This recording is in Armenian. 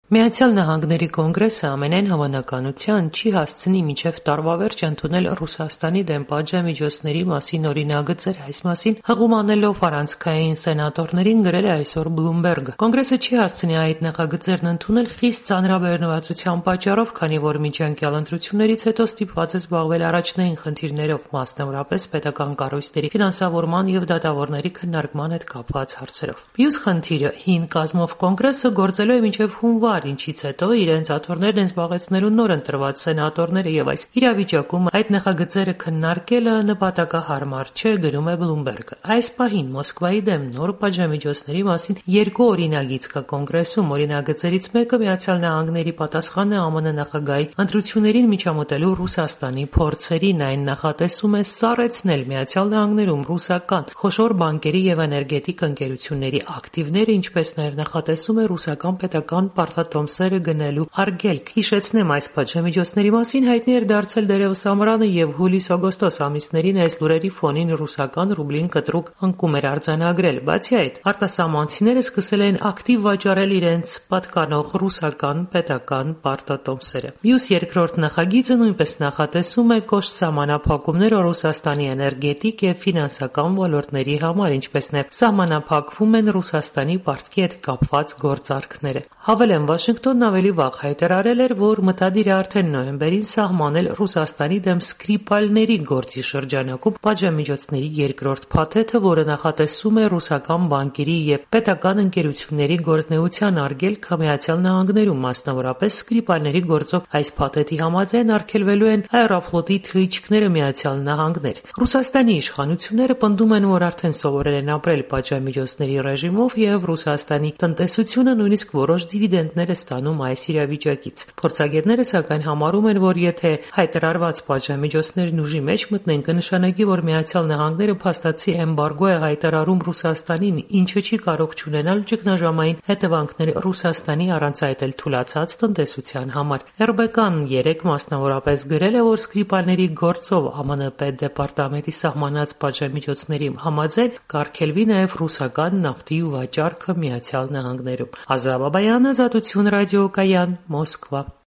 Միացյալ Նահանգների կոնգրեսը ամենայն հավանականության չի հասցնի մինչև տարվա վերջ ընդունել Ռուսաստանի դեմ պատժամիջոցների մասին օրինագծեր, այս մասին հղում անելով առանցքային սենատորներին գրել է այսօր Bloomberg-ը։ Կոնգրեսը չի հասցնի այդ նախագծերն ընդունել խիստ ծանրաբեռնվածության պատճառով, քանի որ միջանկյալ ընտրություններից հետո ստիպված է զբաղվել առաջնային խնդիրներով, մասնավորապես պետական կառույցների ֆինանսավորման եւ դատավորների քննարկման հետ կապված հարցերով։ Մյուս խնդիրը հին կազմով կոնգրեսը գործելու է մինչև հունվար, ինչից հետո իրենց աթոռներն են զբաղեցնելու նոր ընտրված սենատորները եւ այս իրավիճակում այդ նախագծերը քննարկելը նպատակահարմար չէ, գրում է Bloomberg-ը։ Այս պահին Մոսկվայի դեմ նոր պատժամիջոցների մասին երկու օրինագիծ կա կոնգրեսում։ Օրինագծերից մեկը Միացյալ Նահանգների պատասխանը ԱՄՆ նախագահի ընտրություններին միջամտելու Ռուսաստանի փորձերին, այն նախատեսում է սառեցնել Միացյալ Նահանգներում ռուսական խոշոր բանկերի եւ էներգետիկ ընկերությունների ակտիվները, ինչպես նաեւ նախատեսում է ռուսական պետական պարտատոմսերը գնելու արգելք։ Հիշեցնեմ, այս պատժամիջոցների մասին հայտնի էր դարձել դերևս ամռանը եւ հուլիս-օգոստոս ամիսներին այս լուրերի ֆոնին ռուսական ռուբլին կտրուկ անկում էր արձանագրել։ Բացի այդ, արտասահմանցիները սկսել են ակտիվ վաճառել իրենց պատկանող ռուսական պետական պարտատոմսերը։ Մյուս երկրորդ նախագիծը նույնպես նախատեսում է կոշտ սահմանափակումներ Ռուսաստանի էներգետիկ եւ ֆինանսական ոլորտների համար, ինչպես նաեւ սահմանափակվում են Ռուսաստանի պարտքի հետ կապված գործարքները։ Հավելեմ, Վաշինգտոնն ավելի վաղ հայտարարել էր, որ մտադիր է արդեն նոյեմբերին սահմանել Ռուսաստանի դեմ Սկրիպալների գործի շրջանակում պատժամիջոցների երկրորդ փաթեթը, որը նախատեսում է ռուսական բանկերի եւ պետական ընկերությունների գործնեության արգելքը Միացյալ Նահանգներում, մասնավորապես Սկրիպալների գործով այս փաթեթի համաձայն արգելվելու են Aeroflot-ի թռիչքները Միացյալ Նահանգներ։ Ռուսաստանի իշխանությունները պնդում են, որ արդեն սովորել են ապրել պատժամիջոցների ռեժիմով եւ Ռուսաստանի տնտեսությունը նույնիսկ որոշ դիվիդենդներ է ստանում այս իրավիճակից։ Փորձագետները սակայն համարում են, որ եթե հայտարարված պատժամիջոցներն ուժի մեջ մտնեն, կնշանակի, որ Միացյալ Նահանգները փաստացի էմբարգո է հայտարարում Ռուսաստանին, ինչը չի կարող չունենալ ճգնաժամային հետևանքներ Ռուսաստանի առանց այդ էլ թուլացած տնտեսության համար։ RBK-ն 3 մասնավորապես գրել է, որ Սկրիպալների գործով ԱՄՆ պետդեպարտամենտի սահմանած պատժամիջոցների համաձայն կարգելվի նաև ռուսական նավթի վաճառքը Միացյալ Նահանգներում։ Ազատ Բաբայանը, Ազատություն ռադիոկայան, Մոսկվա։